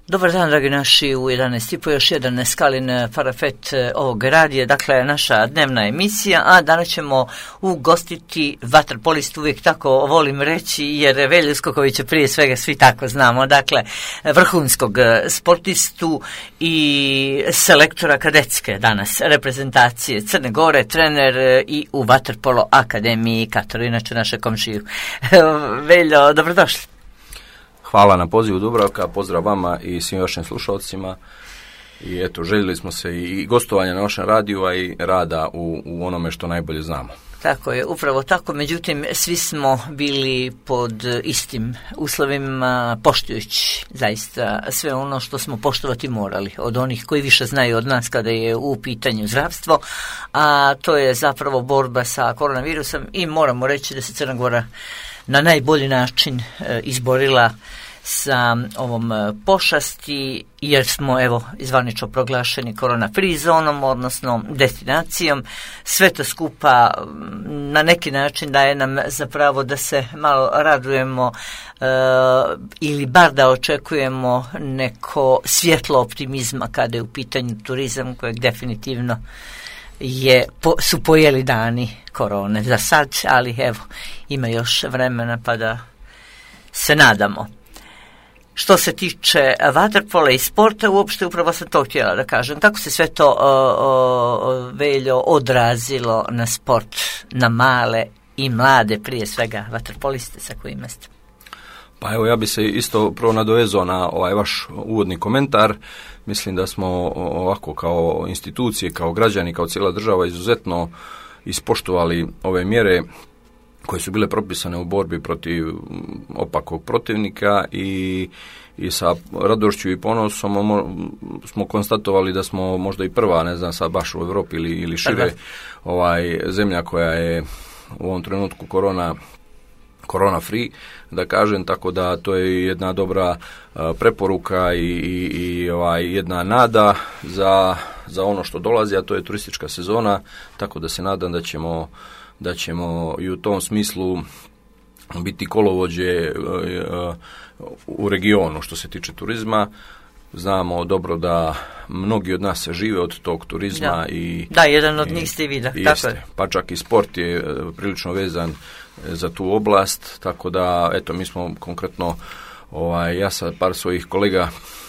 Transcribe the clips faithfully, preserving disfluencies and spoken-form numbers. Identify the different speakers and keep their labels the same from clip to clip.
Speaker 1: Dobar dan, dragi naši, u jedanaest i po još jedan Skalin parafet ovog radija, dakle naša dnevna emisija, a danas ćemo ugostiti vaterpolistu, uvijek tako volim reći, jer Velju Skokovića prije svega svi tako znamo, dakle vrhunskog sportistu i selektora kadetske danas reprezentacije Crne Gore, trener i u Vaterpolo akademiji Katoru, inače naše komšiju. Veljo, dobrodošli.
Speaker 2: Hvala na pozivu Dubravka, pozdrav vama i svim vašim slušalcima. I eto, željeli smo se i gostovanja na vašem radiju, a i rada u, u onome što najbolje znamo.
Speaker 1: Tako je, upravo tako, međutim svi smo bili pod istim uslovima, poštujući zaista sve ono što smo poštovati morali od onih koji više znaju od nas kada je u pitanju zdravstvo, a to je zapravo borba sa koronavirusom i moramo reći da se Crna Gora na najbolji način e, izborila sa ovom pošasti, jer smo evo zvanično proglašeni korona free zonom, odnosno destinacijom. Sve to skupa na neki način daje nam zapravo da se malo radujemo e, ili bar da očekujemo neko svjetlo optimizma kada je u pitanju turizam, kojeg definitivno je, po, su pojeli dani korone za sad, ali evo ima još vremena pa da se nadamo. Što se tiče vaterpola i sporta, uopšte upravo sam to htjela da kažem. Kako se sve to o, o, Veljo odrazilo na sport, na male i mlade, prije svega vaterpoliste sa kojima ste?
Speaker 2: Pa evo, ja bi se isto prvo nadovezao na ovaj vaš uvodni komentar. Mislim da smo ovako kao institucije, kao građani, kao cijela država izuzetno ispoštovali ove mjere koje su bile propisane u borbi protiv opakog protivnika i, i sa radošću i ponosom smo konstatovali da smo možda i prva, ne znam sad baš u Europi ili, ili šire, ovaj, zemlja koja je u ovom trenutku korona korona free, da kažem, tako da to je jedna dobra uh, preporuka i, i, i ovaj, jedna nada za, za ono što dolazi, a to je turistička sezona, tako da se nadam da ćemo, da ćemo i u tom smislu biti kolovođe uh, uh, u regionu što se tiče turizma. Znamo dobro da mnogi od nas se žive od tog turizma.
Speaker 1: Da,
Speaker 2: i
Speaker 1: da jedan od njih ste i vi, da.
Speaker 2: Jeste, pa čak i sport je prilično vezan za tu oblast, tako da, eto, mi smo konkretno, ovaj, ja sa par svojih kolega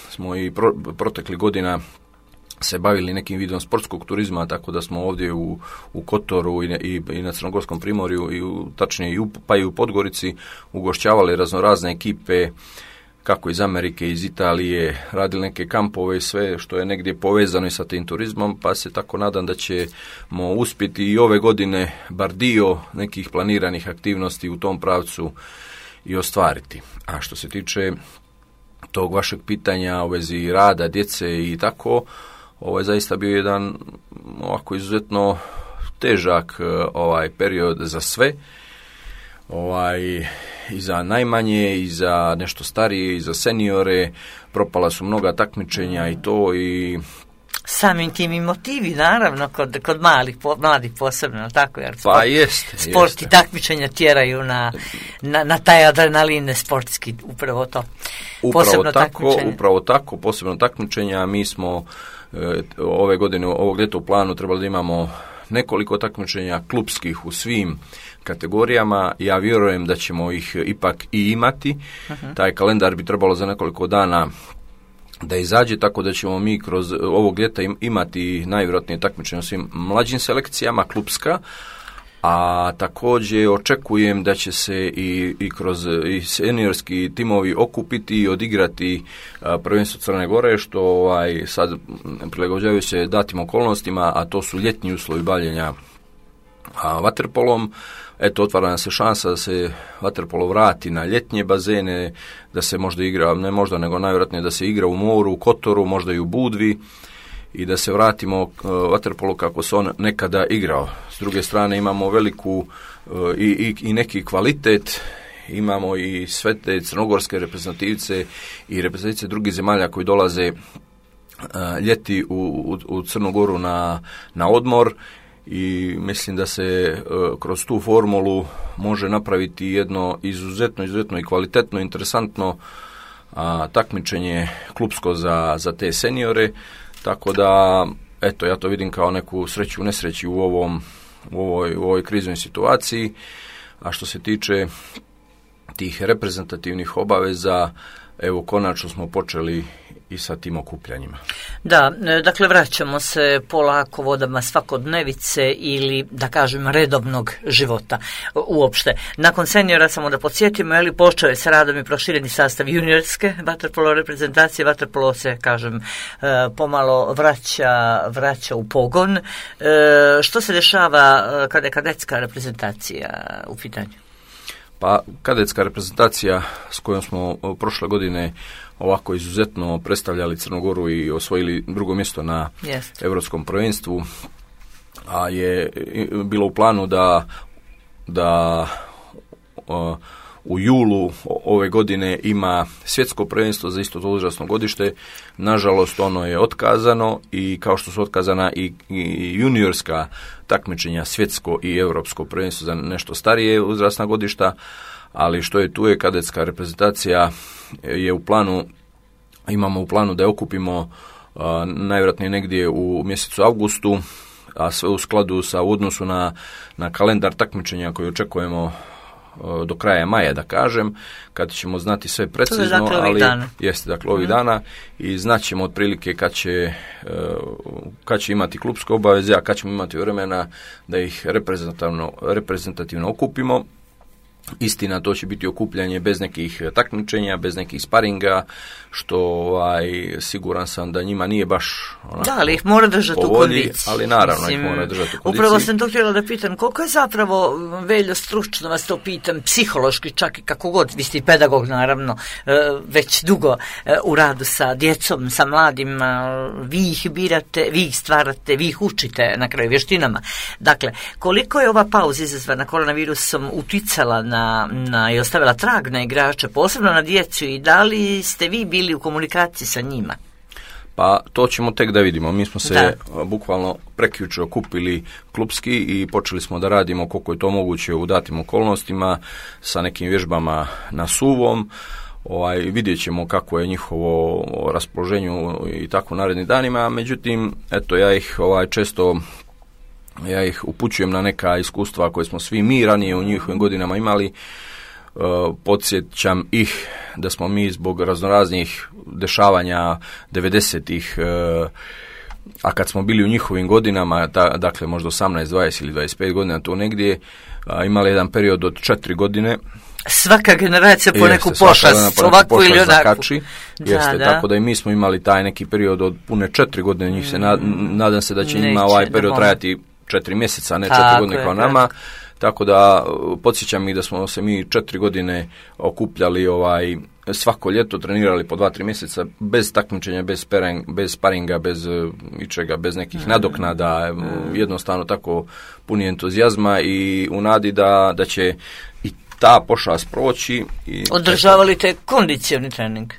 Speaker 2: smo i pro, protekli godina se bavili nekim vidom sportskog turizma, tako da smo ovdje u, u Kotoru i, i, i na Crnogorskom primorju, i u, tačnije i u, pa i u Podgorici ugošćavali raznorazne ekipe, kako iz Amerike, iz Italije, radili neke kampove i sve što je negdje povezano i sa tim turizmom, pa se tako nadam da ćemo uspjeti i ove godine bar dio nekih planiranih aktivnosti u tom pravcu i ostvariti. A što se tiče tog vašeg pitanja u vezi rada, djece i tako, ovo je zaista bio jedan ovako izuzetno težak ovaj period za sve. Ovaj, i za najmanje, i za nešto starije, i za seniore, propala su mnoga takmičenja i to i...
Speaker 1: Samim tim i motivi, naravno, kod, kod malih, po, mladih posebno, tako, jer sport,
Speaker 2: pa jeste,
Speaker 1: sport
Speaker 2: jeste.
Speaker 1: I takmičenja tjeraju na, na, na taj adrenalin sportski, upravo to.
Speaker 2: Upravo
Speaker 1: posebno
Speaker 2: tako, upravo tako, posebno takmičenja. Mi smo e, ove godine, ovog ljeta u planu trebali da imamo nekoliko takmičenja klupskih u svim kategorijama. Ja vjerujem da ćemo ih ipak i imati. Uh-huh. Taj kalendar bi trebalo za nekoliko dana da izađe, tako da ćemo mi kroz ovog ljeta imati najvjerojatnije takmičenje u svim mlađim selekcijama, klupska, a također očekujem da će se i, i kroz i seniorski timovi okupiti i odigrati a, prvenstvo Crne Gore, što ovaj, sad prilagođavaju se datim okolnostima, a to su ljetni uslovi bavljenja a, vaterpolom. Eto, otvara nam se šansa da se vaterpolo vrati na ljetnje bazene, da se možda igra, ne možda, nego najvjerojatnije da se igra u moru, u Kotoru, možda i u Budvi, i da se vratimo uh, vaterpolu kako se on nekada igrao. S druge strane imamo veliku uh, i, i, i neki kvalitet, imamo i sve te crnogorske reprezentativce i reprezentativce drugih zemalja koji dolaze uh, ljeti u, u, u Crnu Goru na, na odmor, i mislim da se uh, kroz tu formulu može napraviti jedno izuzetno, izuzetno i kvalitetno, interesantno a, takmičenje klupsko za, za te seniore, tako da eto, ja to vidim kao neku sreću u nesreći u, ovom, u, ovoj, u ovoj kriznoj situaciji. A što se tiče tih reprezentativnih obaveza, evo konačno smo počeli i sa tim okupljanjima.
Speaker 1: Da, dakle vraćamo se polako vodama svakodnevice ili da kažem redovnog života uopšte. Nakon seniora samo da podsjetimo, je li počeo je s radom i prošireni sastav juniorske vaterpolo reprezentacije, vaterpolo se kažem pomalo vraća, vraća u pogon. Što se dešava kada je kadetska reprezentacija u pitanju?
Speaker 2: Pa kadetska reprezentacija s kojom smo prošle godine ovako izuzetno predstavljali Crnu Goru i osvojili drugo mjesto na Jest. Europskom prvenstvu, a je bilo u planu da, da o, u julu ove godine ima svjetsko prvenstvo za isto to uzrasno godište. Nažalost, ono je otkazano i kao što su otkazana i, i juniorska takmičenja, svjetsko i europsko prvenstvo za nešto starije uzrasna godišta, ali što je tu je kadetska reprezentacija je u planu, imamo u planu da je okupimo a, najvjerojatnije negdje u mjesecu avgustu, a sve u skladu sa u odnosu na, na kalendar takmičenja koji očekujemo do kraja maja, da kažem, kad ćemo znati sve precizno,
Speaker 1: dakle
Speaker 2: ali
Speaker 1: dana.
Speaker 2: jeste dakle ovih mm. dana i znaćemo otprilike kad će, kad će imati klupske obaveze, a kad ćemo imati vremena da ih reprezentativno, reprezentativno okupimo. Istina, to će biti okupljanje bez nekih takmičenja, bez nekih sparinga, što ovaj, siguran sam da njima nije baš onako,
Speaker 1: da, ali ih mora držati u kondiciji.
Speaker 2: Ali naravno Mislim, ih mora držati u kondiciji.
Speaker 1: Upravo sam to htjela da pitam, koliko je zapravo, Veljo, stručno vas to pitam, psihološki čak i kako god, vi ste i pedagog naravno, već dugo u radu sa djecom, sa mladima, vi ih birate, vi ih stvarate, vi ih učite na kraju vještinama. Dakle, koliko je ova pauza izazvana koronavirusom uticala na, na i ostavila trag na igrače, posebno na djecu, i da li ste vi bili u komunikaciji sa njima?
Speaker 2: Pa to ćemo tek da vidimo. Mi smo se
Speaker 1: da.
Speaker 2: bukvalno prekjuče okupili klupski i počeli smo da radimo koliko je to moguće u datim okolnostima sa nekim vježbama na suvom. Ovaj, vidjet ćemo kako je njihovo raspoloženje i tako u narednim danima. Međutim, eto, ja ih ovaj, često ja ih upućujem na neka iskustva koje smo svi mi ranije u njihovim godinama imali. Uh, podsjećam ih da smo mi zbog raznoraznih dešavanja devedesetih, uh, a kad smo bili u njihovim godinama, ta, dakle možda osamnaest, dvadeset ili dvadeset pet godina, tu negdje, uh, imali jedan period od četiri godine.
Speaker 1: Svaka generacija po neku pošast, ovako ili onako.
Speaker 2: Zakači, jeste, da, tako da i mi smo imali taj neki period od pune četiri godine, njih se nad, nadam se da će Neće, njima ovaj period trajati četiri mjeseca, ne četiri godine kao nama. Tako da podsjećam i da smo se mi četiri godine okupljali ovaj svako ljeto, trenirali po dva, tri mjeseca bez takmičenja, bez, sparing, bez sparinga, bez ičega, bez nekih nadoknada, jednostavno tako puni entuzijazma i u nadi da, da će i ta pošast proći. I
Speaker 1: održavali te kondicioni trening?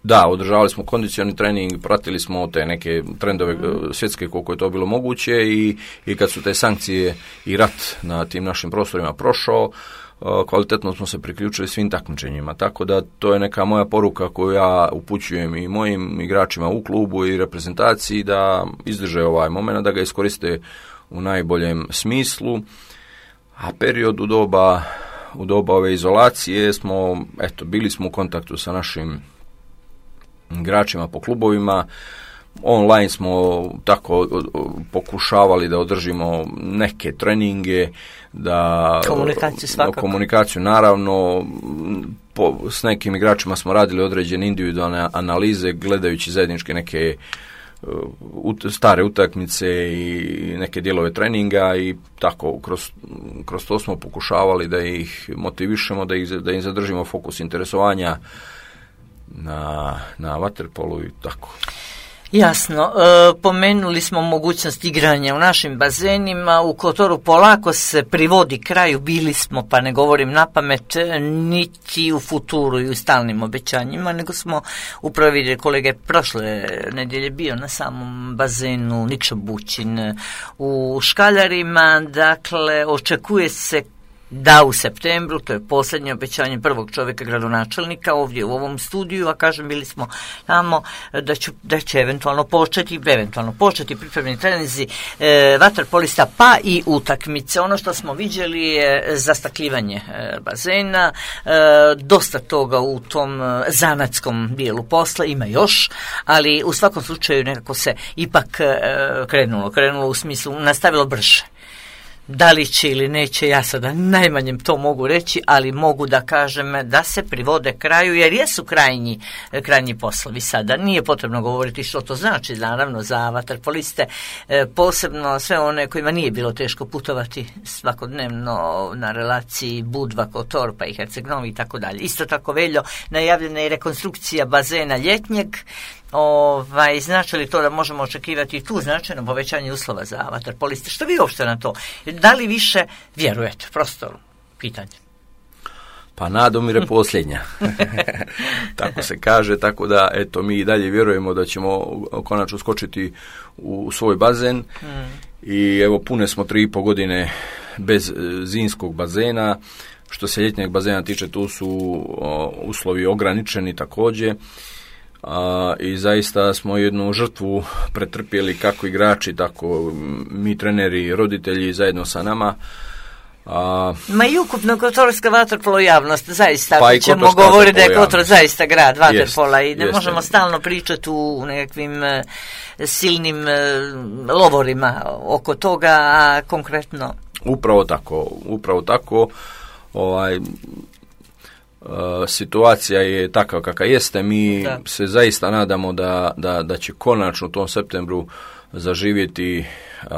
Speaker 2: Da, održavali smo kondicioni trening, pratili smo te neke trendove mm. svjetske koliko je to bilo moguće i, i kad su te sankcije i rat na tim našim prostorima prošao, kvalitetno smo se priključili svim takmičenjima. Tako da to je neka moja poruka koju ja upućujem i mojim igračima u klubu i reprezentaciji da izdrže ovaj moment, da ga iskoriste u najboljem smislu. A period u doba, u doba ove izolacije smo, eto, bili smo u kontaktu sa našim igračima po klubovima, online smo tako pokušavali da održimo neke treninge, da
Speaker 1: komunikaciju svakako.
Speaker 2: Komunikaciju naravno, po, s nekim igračima smo radili određene individualne analize gledajući zajedničke neke uh, stare utakmice i neke dijelove treninga i tako kroz, kroz to smo pokušavali da ih motivišemo, da, ih, da im zadržimo fokus interesovanja na, na vaterpolu i tako.
Speaker 1: Jasno, e, pomenuli smo mogućnost igranja u našim bazenima, u Kotoru polako se privodi kraju, bili smo, pa ne govorim na pamet, niti u futuru i u stalnim obećanjima, nego smo upravo vidjeli, kolege prošle nedjelje bio na samom bazenu Nikša Bućin u Škaljarima, dakle očekuje se da u septembru, to je posljednje obećanje prvog čovjeka gradonačelnika ovdje u ovom studiju, a kažem bili smo tamo da, ću, da će eventualno početi, eventualno početi pripremni treninzi e, vaterpolista pa i utakmice. Ono što smo vidjeli je zastakljivanje e, bazena, e, dosta toga u tom e, zanatskom dijelu posla, ima još, ali u svakom slučaju nekako se ipak e, krenulo, krenulo u smislu, nastavilo brže. Da li će ili neće, ja sada najmanjem to mogu reći, ali mogu da kažem da se privode kraju, jer jesu krajnji, krajnji poslovi sada. Nije potrebno govoriti što to znači, naravno, za vaterpoliste, posebno sve one kojima nije bilo teško putovati svakodnevno na relaciji Budva, Kotor, pa i Herceg Novi i tako dalje. Isto tako, Veljo, najavljena je rekonstrukcija bazena ljetnjeg. Ovaj, znači li to da možemo očekivati tu značajno povećanje uslova za vaterpoliste? Što vi uopšte na to? Da li više vjerujete? Prosto pitanje.
Speaker 2: Pa nadomire posljednja. Tako se kaže, tako da eto mi i dalje vjerujemo da ćemo konačno skočiti u svoj bazen hmm. i evo pune smo tri i po godine bez zimskog bazena. Što se ljetnjeg bazena tiče, tu su o, uslovi ograničeni također. A, i zaista smo jednu žrtvu pretrpjeli kako igrači, tako mi treneri, roditelji zajedno sa nama. A,
Speaker 1: Ma i ukupno kotorska vaterpolo javnost, zaista,
Speaker 2: pa
Speaker 1: ako ćemo govoriti da je Kotor zaista grad vaterpola i ne jest, možemo jest. stalno pričati u nekakvim e, silnim e, lovorima oko toga, a konkretno...
Speaker 2: Upravo tako, upravo tako, ovaj... Uh, situacija je takva kakva jeste, mi da. se zaista nadamo da, da, da će konačno u tom septembru zaživjeti uh,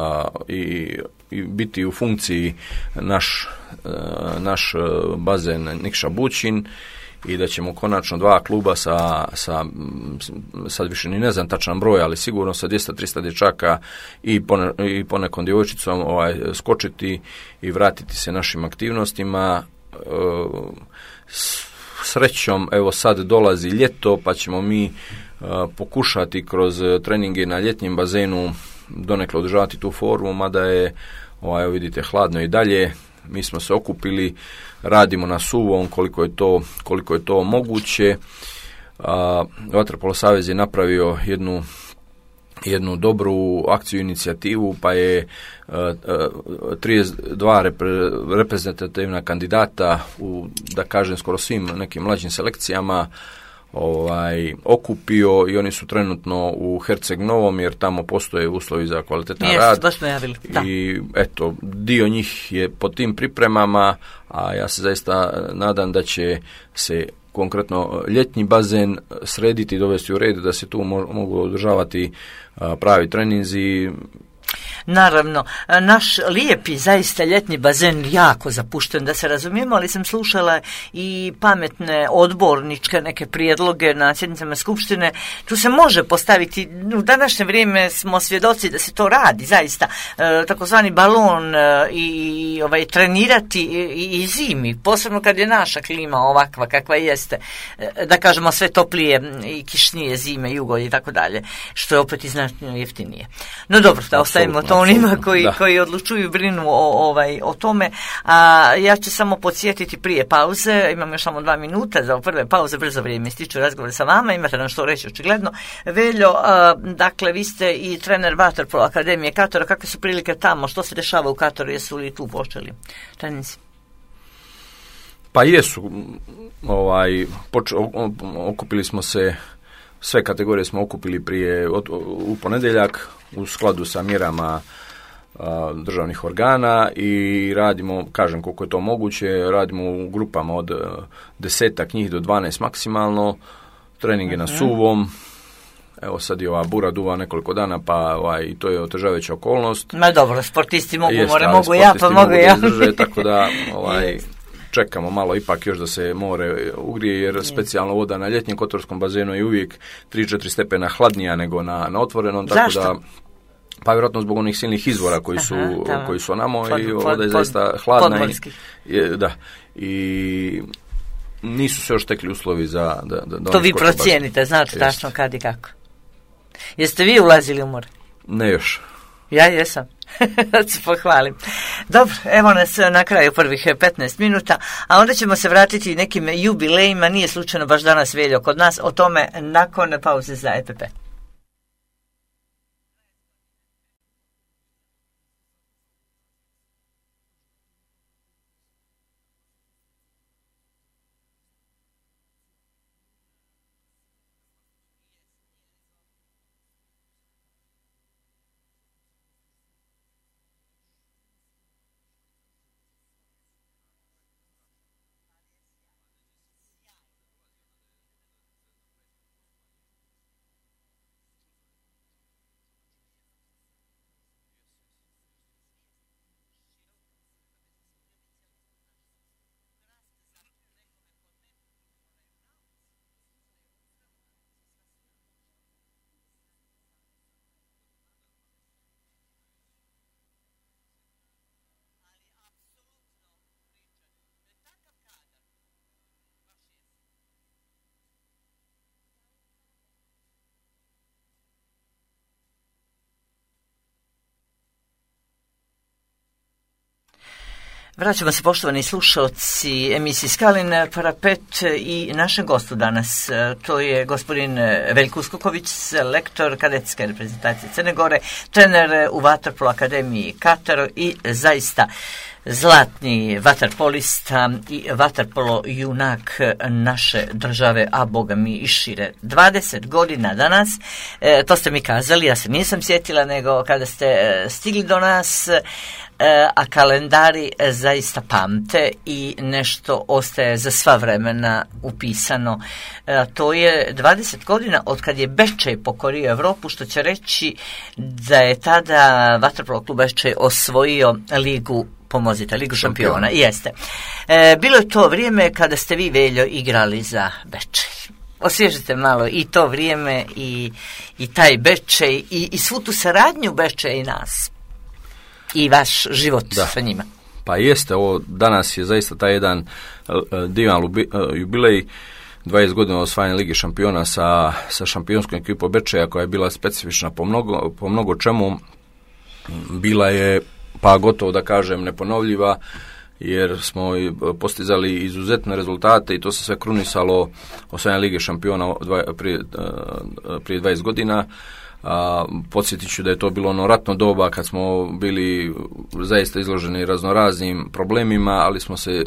Speaker 2: i, i biti u funkciji naš, uh, naš bazen Nikša Bućin i da ćemo konačno dva kluba sa, sa sad više ni ne znam tačan broj, ali sigurno sa dvjesto do tristo dječaka i, pone, i ponekom djevojčicom ovaj, skočiti i vratiti se našim aktivnostima. Uh, Srećom, evo sad dolazi ljeto, pa ćemo mi uh, pokušati kroz treninge na ljetnjem bazenu donekle održavati tu formu, mada je, ovaj, evo vidite, hladno i dalje. Mi smo se okupili, radimo na suvom koliko je to, koliko je to moguće. Uh, Vaterpolo savez je napravio jednu jednu dobru akciju, inicijativu, pa je uh, uh, trideset dva repre, reprezentativna kandidata u, da kažem, skoro svim nekim mlađim selekcijama ovaj, okupio i oni su trenutno u Herceg Novom, jer tamo postoje uslovi za kvalitetan
Speaker 1: Jest,
Speaker 2: rad.
Speaker 1: Baš smo javili. Da.
Speaker 2: I eto, dio njih je pod tim pripremama, a ja se zaista nadam da će se konkretno ljetni bazen srediti i dovesti u red, da se tu mo- mogu održavati a, pravi treninzi.
Speaker 1: Naravno, naš lijepi, zaista ljetni bazen jako zapušten, da se razumijemo, ali sam slušala i pametne odborničke neke prijedloge na sjednicama skupštine. Tu se može postaviti, u današnje vrijeme smo svjedoci da se to radi, zaista, e, takozvani balon e, i ovaj, trenirati i, i zimi, posebno kad je naša klima ovakva kakva jeste, e, da kažemo sve toplije i kišnije zime, jugo i tako dalje, što je opet i znatno jeftinije. No dobro, da ostavimo to onima koji, koji odlučuju, brinu o, ovaj, o tome. A ja ću samo podsjetiti prije pauze, imam još samo dva minuta za prve pauze, brzo vrijeme ističu razgovor sa vama, imate nam što reći očigledno. Veljo, a, dakle, vi ste i trener Vaterpolo Akademije Katora, kakve su prilike tamo, što se dešava u Katoru, jesu li tu počeli treninzi?
Speaker 2: Pa jesu, ovaj, poč- okupili smo se, sve kategorije smo okupili prije, od, u ponedjeljak, u skladu sa mjerama a, državnih organa i radimo, kažem koliko je to moguće, radimo u grupama od desetak njih do dvanaest maksimalno, treninge uh-huh. na suvom. Evo sad je ova bura duva nekoliko dana, pa ovaj, to je otežavajuća okolnost.
Speaker 1: Ma dobro, sportisti mogu,
Speaker 2: Jest,
Speaker 1: more, mogu ja, pa mogu ja.
Speaker 2: Izdrže, tako da ovaj, čekamo malo ipak još da se more ugrije, jer specijalno voda na ljetnjem kotorskom bazenu je uvijek tri do četiri stepena hladnija nego na, na otvorenom. Tako
Speaker 1: Zašto?
Speaker 2: Da, pa vjerojatno zbog onih silnih izvora koji su, Aha, koji su onamo pod, i voda je zaista hladna. I, je, da, i nisu se još tekli uslovi za da, da, da
Speaker 1: to vi procijenite, znate tačno kad i kako. Jeste vi ulazili u more?
Speaker 2: Ne još.
Speaker 1: Ja jesam. Da se pohvalim. Dobro, evo nas na kraju prvih petnaest minuta, a onda ćemo se vratiti nekim jubilejima, nije slučajno baš danas Veljo kod nas, o tome nakon pauze za E P P. Vraćamo se, poštovani slušalci emisiji Skalin parapet i našem gostu danas. To je gospodin Veljko Uskoković, selektor kadetske reprezentacije Crne Gore, trener u Vaterpolo akademiji Katar i zaista zlatni vaterpolista i vaterpolo junak naše države, a boga mi i šire. dvadeset godina danas, e, to ste mi kazali, ja se nisam sjetila, nego kada ste stigli do nas, e, a kalendari zaista pamte i nešto ostaje za sva vremena upisano. E, to je dvadeset godina od kad je Bečej pokorio Evropu, što će reći da je tada vaterpolo klub Bečej osvojio ligu pomozite, Ligu šampiona, šampiona. Jeste. E, bilo je to vrijeme kada ste vi, Veljo, igrali za Bečej. Osvježite malo i to vrijeme i, i taj Bečej i, i svu tu saradnju Bečej i nas i vaš život da. Sa njima.
Speaker 2: Pa jeste, ovo danas je zaista taj jedan uh, divan lubi, uh, jubilej, dvadeset godina osvajanja Lige šampiona sa, sa šampionskom ekipom Bečeja, koja je bila specifična po mnogo, po mnogo čemu. Bila je, pa gotovo da kažem, neponovljiva, jer smo postizali izuzetne rezultate i to se sve krunisalo osvajanje Lige šampiona prije, prije dvadeset godina. A, podsjetit ću da je to bilo ono ratno doba kad smo bili zaista izloženi raznoraznim problemima, ali smo se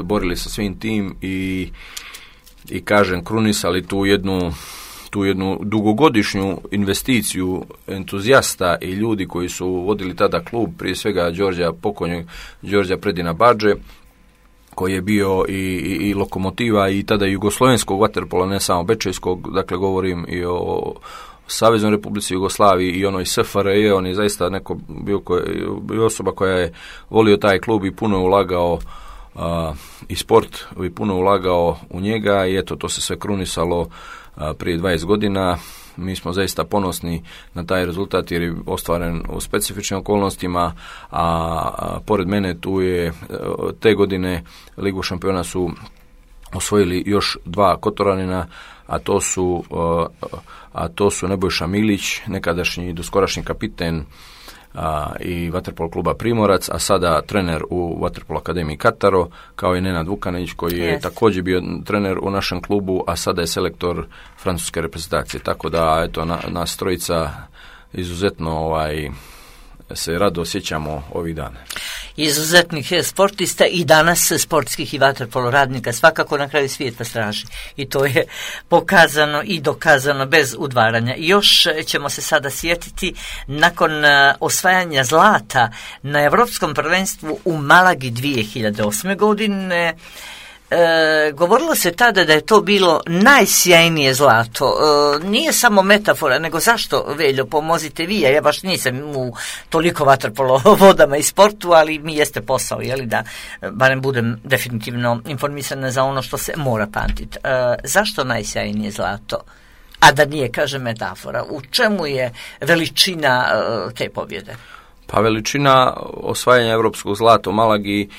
Speaker 2: borili sa svim tim i, i kažem, krunisali tu jednu tu jednu dugogodišnju investiciju entuzijasta i ljudi koji su vodili tada klub, prije svega Đorđa pokojnog Đorđa Predina Badže, koji je bio i, i, i lokomotiva i tada jugoslovenskog vaterpola, ne samo bečejskog, dakle govorim i o Saveznoj Republici Jugoslaviji i onoj S F R J, on je zaista neko bio, koje, bio osoba koja je volio taj klub i puno je ulagao a, i sport i puno ulagao u njega i eto, to se sve krunisalo a, prije dvadeset godina. Mi smo zaista ponosni na taj rezultat jer je ostvaren u specifičnim okolnostima, a, a pored mene tu je te godine Ligu šampiona su osvojili još dva Kotoranina, a to su a to su Nebojša Milić, nekadašnji doskorašnji kapiten a, i vaterpolo kluba Primorac, a sada trener u Vaterpolo akademiji Kataro, kao i Nenad Vukanić, koji je yes. također bio trener u našem klubu, a sada je selektor francuske reprezentacije. Tako da, eto, na, nas trojica izuzetno ovaj, se rado osjećamo ovih dana.
Speaker 1: Izuzetnih sportista i danas sportskih i vaterpolo radnika svakako na kraju svijeta straži. I to je pokazano i dokazano bez udvaranja. I još ćemo se sada sjetiti nakon osvajanja zlata na Europskom prvenstvu u Malagi dvije hiljade osme. godine. E, govorilo se tada da je to bilo najsjajnije zlato. E, nije samo metafora, nego zašto, Veljo, pomozite vi, ja baš nisam u toliko vaterpolo vodama i sportu, ali mi jeste posao, jeli, da barem budem definitivno informisana za ono što se mora pamtiti. E, zašto najsjajnije zlato? A da nije, kaže, metafora. U čemu je veličina e, te pobjede?
Speaker 2: Pa veličina osvajanja europskog zlata u Malagi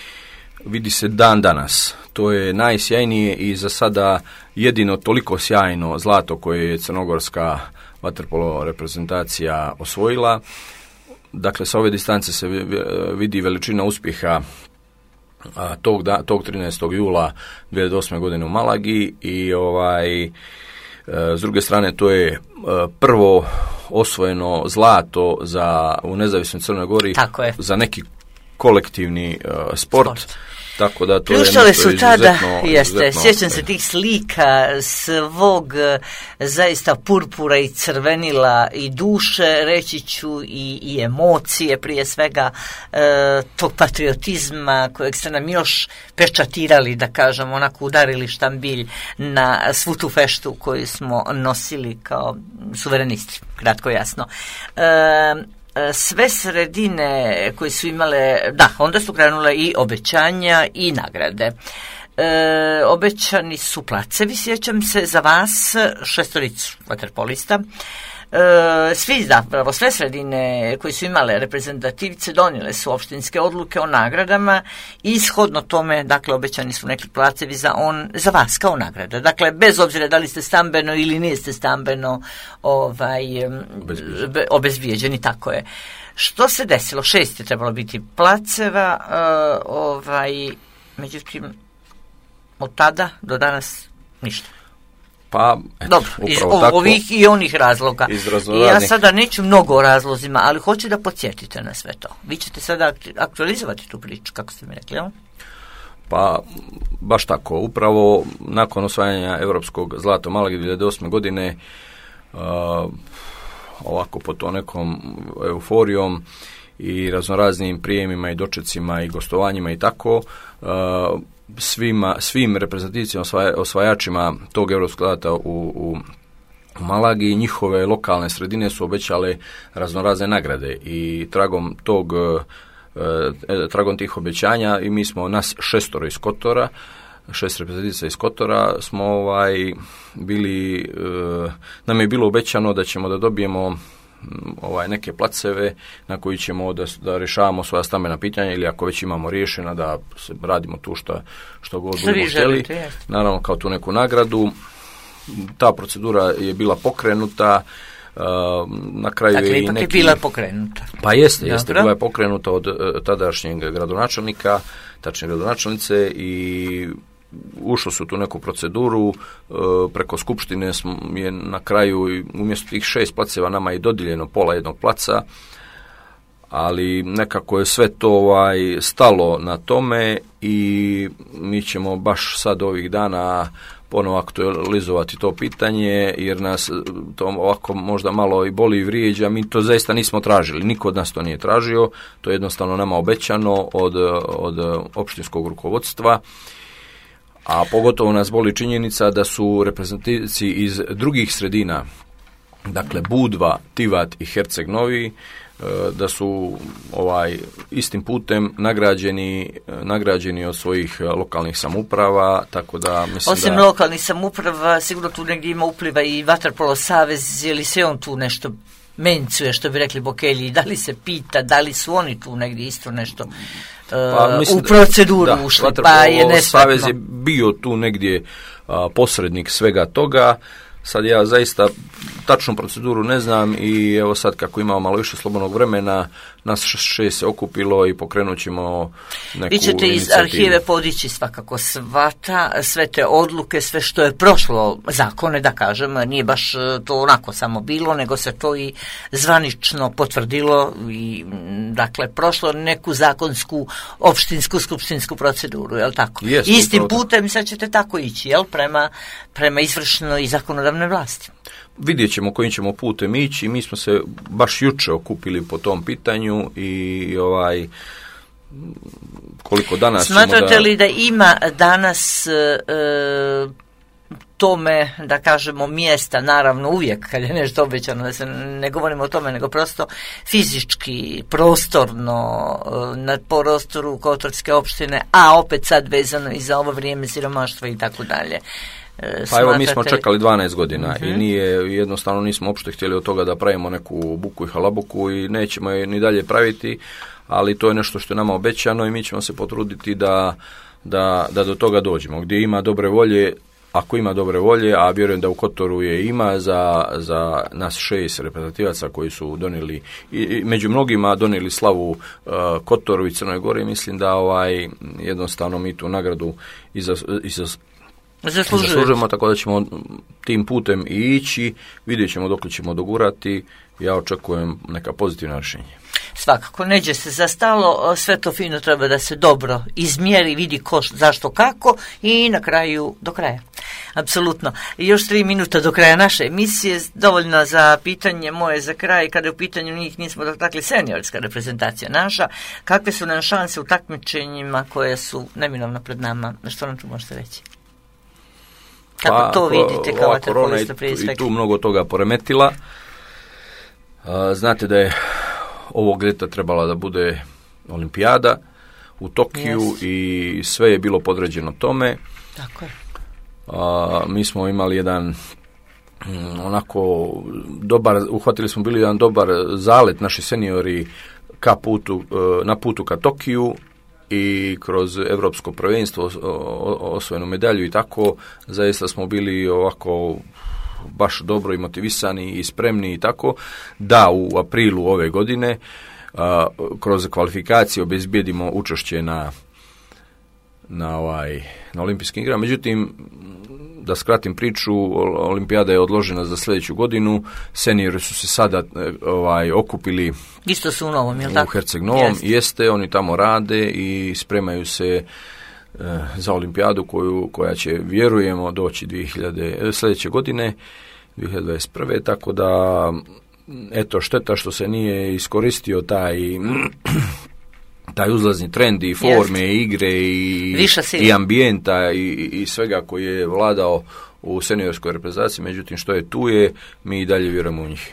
Speaker 2: vidi se dan danas. To je najsjajnije i za sada jedino toliko sjajno zlato koje je crnogorska vaterpolo reprezentacija osvojila. dakle, sa ove distance se vidi veličina uspjeha a, tog, da, tog trinaestog jula dvije tisuće osme. godine u Malagi i ovaj, s druge strane to je prvo osvojeno zlato za, u nezavisnoj Crnoj Gori za neki kolektivni uh, sport. sport. Tako da to
Speaker 1: Pljuštale
Speaker 2: je nešto
Speaker 1: su tada,
Speaker 2: izuzetno,
Speaker 1: jeste,
Speaker 2: izuzetno,
Speaker 1: sjećam se tih slika svog zaista purpura i crvenila i duše, reći ću i, i emocije prije svega e, tog patriotizma kojeg ste nam još pečatirali, da kažem, onako udarili štambilj na svu tu feštu koju smo nosili kao suverenisti, kratko jasno. E, sve sredine koje su imale, da, onda su krenule i obećanja i nagrade. E, obećani su placevi, sjećam se, za vas, šestoricu vaterpolista. E, svi zapravo, sve sredine koje su imale reprezentativce donijele su opštinske odluke o nagradama i shodno tome, dakle, obećani su neki placevi za, on, za vas kao nagrada. Dakle, bez obzira da li ste stambeno ili niste stambeno ovaj, obezbijeđeni. obezbijeđeni, tako je. Što se desilo? Šest je trebalo biti placeva, uh, ovaj, međutim, od tada do danas ništa.
Speaker 2: Pa, eto,
Speaker 1: dobro, iz
Speaker 2: tako,
Speaker 1: ovih i onih razloga.
Speaker 2: I
Speaker 1: ja sada neću mnogo o razlozima, ali hoću da podsjetite na sve to. Vi ćete sada aktualizovati tu priču, kako ste mi rekli, jel?
Speaker 2: Pa, baš tako. Upravo nakon osvajanja Europskog zlata u Malagi dvije tisuće osme. godine, uh, ovako pod to nekom euforijom i raznoraznim prijemima i dočecima i gostovanjima i tako, uh, Svima, svim reprezentativcima, osvajačima tog europskog zlata u, u, u Malagi, njihove lokalne sredine su obećale raznorazne nagrade i tragom tog e, tragom tih obećanja i mi smo nas šestoro iz Kotora, šest reprezentatica iz Kotora smo ovaj bili, e, nam je bilo obećano da ćemo da dobijemo ovaj neke placeve na koji ćemo da, da rješavamo svoja stambena pitanja ili ako već imamo riješena da se radimo tu što, što god budemo htjeli. Naravno kao tu neku nagradu. Ta procedura je bila pokrenuta. Uh, na kraju
Speaker 1: dakle,
Speaker 2: je
Speaker 1: ipak
Speaker 2: neki,
Speaker 1: je bila pokrenuta.
Speaker 2: Pa jeste, jeste, bila je pokrenuta od uh, tadašnjeg gradonačelnika, tačnije gradonačelnice i ušlo su tu neku proceduru, preko skupštine je na kraju umjesto tih šest placeva nama je dodijeljeno pola jednog placa, ali nekako je sve to ovaj, stalo na tome i mi ćemo baš sad ovih dana ponovo aktualizovati to pitanje, jer nas to ovako možda malo i boli i vrijeđa, mi to zaista nismo tražili, niko od nas to nije tražio, to je jednostavno nama obećano od, od opštinskog rukovodstva. A pogotovo nas boli činjenica da su reprezentativci iz drugih sredina, dakle Budva, Tivat i Herceg Novi, da su ovaj istim putem nagrađeni, nagrađeni od svojih lokalnih samouprava, tako da mislim
Speaker 1: Osim
Speaker 2: da...
Speaker 1: lokalnih samouprava, sigurno tu negdje ima upliva i Vaterpolo savez, je li se on tu nešto mencuje, što bi rekli Bokelji, da li se pita, da li su oni tu negdje isto nešto
Speaker 2: pa, mislim,
Speaker 1: u proceduru da, ušli, pa je nesretno.
Speaker 2: Savez je bio tu negdje a, posrednik svega toga. Sad ja zaista tačnu proceduru ne znam i evo sad kako imamo malo više slobodnog vremena, nas šest se okupilo i pokrenut ćemo neku
Speaker 1: Vi ćete iz arhive podići svakako svata, sve te odluke, sve što je prošlo zakone, da kažem, nije baš to onako samo bilo, nego se to i zvanično potvrdilo i dakle prošlo neku zakonsku, opštinsku, skupštinsku proceduru, jel tako?
Speaker 2: Jest,
Speaker 1: istim putem sad ćete tako ići, jel, prema, prema izvršnoj i zakonodavnoj vlasti.
Speaker 2: Vidjet ćemo kojim ćemo putem ići. Mi smo se baš juče okupili po tom pitanju i ovaj koliko danas
Speaker 1: Smatrate
Speaker 2: da...
Speaker 1: li da ima danas e, tome, da kažemo, mjesta, naravno uvijek kad je nešto obećano, da se ne govorimo o tome, nego prosto fizički, prostorno, na prostoru Kotorske opštine, a opet sad vezano i za ovo vrijeme siromaštva i tako dalje.
Speaker 2: Pa evo, mi smo čekali dvanaest godina uh-huh. i nije, jednostavno nismo uopšte htjeli od toga da pravimo neku buku i halabuku i nećemo je ni dalje praviti, ali to je nešto što je nama obećano i mi ćemo se potruditi da, da, da do toga dođemo. Gdje ima dobre volje, ako ima dobre volje, a vjerujem da u Kotoru je ima za, za nas šest reprezentativaca koji su donijeli, i, i među mnogima donijeli slavu uh, Kotoru i Crnoj Gori, mislim da ovaj jednostavno mi tu nagradu iza, iza, zaslužujemo, tako da ćemo tim putem i ići, vidjet ćemo dok ćemo dogurati, ja očekujem neka pozitivna rješenja.
Speaker 1: Svakako, neđe se za stalo, sve to fino treba da se dobro izmjeri, vidi ko, zašto, kako i na kraju do kraja. Apsolutno. I još tri minuta do kraja naše emisije, dovoljno za pitanje moje za kraj, kada je u pitanju njih nismo dotakli seniorska reprezentacija naša, kakve su nam šanse u takmičenjima koje su neminovno pred nama, što nam tu možete reći? Kako pa, to vidite kao vaterpolista prije svega?
Speaker 2: I tu mnogo toga poremetila. Znate da je ovog ljeta trebala da bude olimpijada u Tokiju yes. i sve je bilo podređeno tome.
Speaker 1: Tako je.
Speaker 2: A, mi smo imali jedan m, onako dobar, uhvatili smo bili jedan dobar zalet naši seniori ka putu, na putu ka Tokiju i kroz Europsko prvenstvo osvojenu medalju i tako, zaista smo bili ovako baš dobro i motivisani i spremni i tako, da u aprilu ove godine a, kroz kvalifikacije obezbijedimo učešće na na ovaj na olimpijskim igrama. Međutim, da skratim priču, olimpijada je odložena za sljedeću godinu. Seniori su se sada ovaj okupili
Speaker 1: isto su u Novom, je li
Speaker 2: u
Speaker 1: tako?
Speaker 2: Herceg Novom. Jeste. Jeste, oni tamo rade i spremaju se za olimpijadu koju, koja će, vjerujemo, doći dvije hiljade sljedeće godine, dvije hiljade dvadeset prve. Tako da, eto, šteta što se nije iskoristio taj taj uzlazni trend i forme, Jest. igre i, i ambijenta i, i svega koji je vladao u seniorskoj reprezentaciji. Međutim, što je tu je, mi i dalje vjerujemo u njih.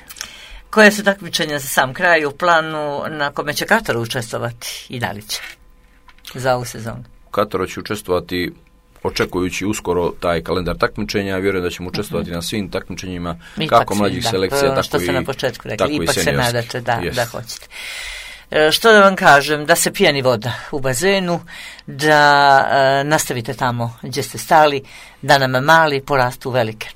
Speaker 1: Koje su takmičenja za sam kraj u planu na kome će Katar učestvovati i da li će za ovu sezonu?
Speaker 2: Katar će učestvovati, očekujući uskoro taj kalendar takmičenja, vjerujem da ćemo učestvovati uh-huh. na svim takmičenjima, ipak kako mlađih da, selekcija, tako što i,
Speaker 1: na početku rekli,
Speaker 2: tako
Speaker 1: ipak
Speaker 2: i
Speaker 1: se nadate da,
Speaker 2: yes.
Speaker 1: da hoćete. E, što da vam kažem, da se pijani voda u bazenu, da e, nastavite tamo gdje ste stali, da nam mali porastu velike.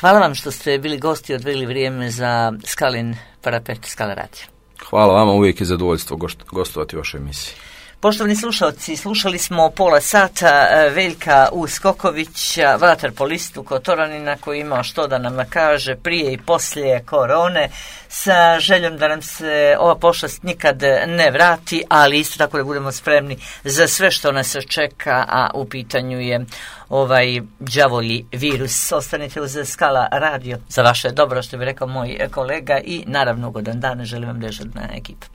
Speaker 1: Hvala vam što ste bili gosti i odveli vrijeme za Skalin parapet Skala radio.
Speaker 2: Hvala vama, uvijek je zadovoljstvo gostovati u vašoj emisiji.
Speaker 1: Poštovani slušalci, slušali smo pola sata Veljka Uskokovića, vaterpolistu Kotoranina, koji ima što da nam kaže prije i poslije korone, sa željom da nam se ova pošast nikad ne vrati, ali isto tako da budemo spremni za sve što nas čeka, a u pitanju je ovaj đavolji virus. Ostanite uz Skala radio za vaše dobro, što bi rekao moj kolega, i naravno ugodan dan, želim vam dežurna ekipa.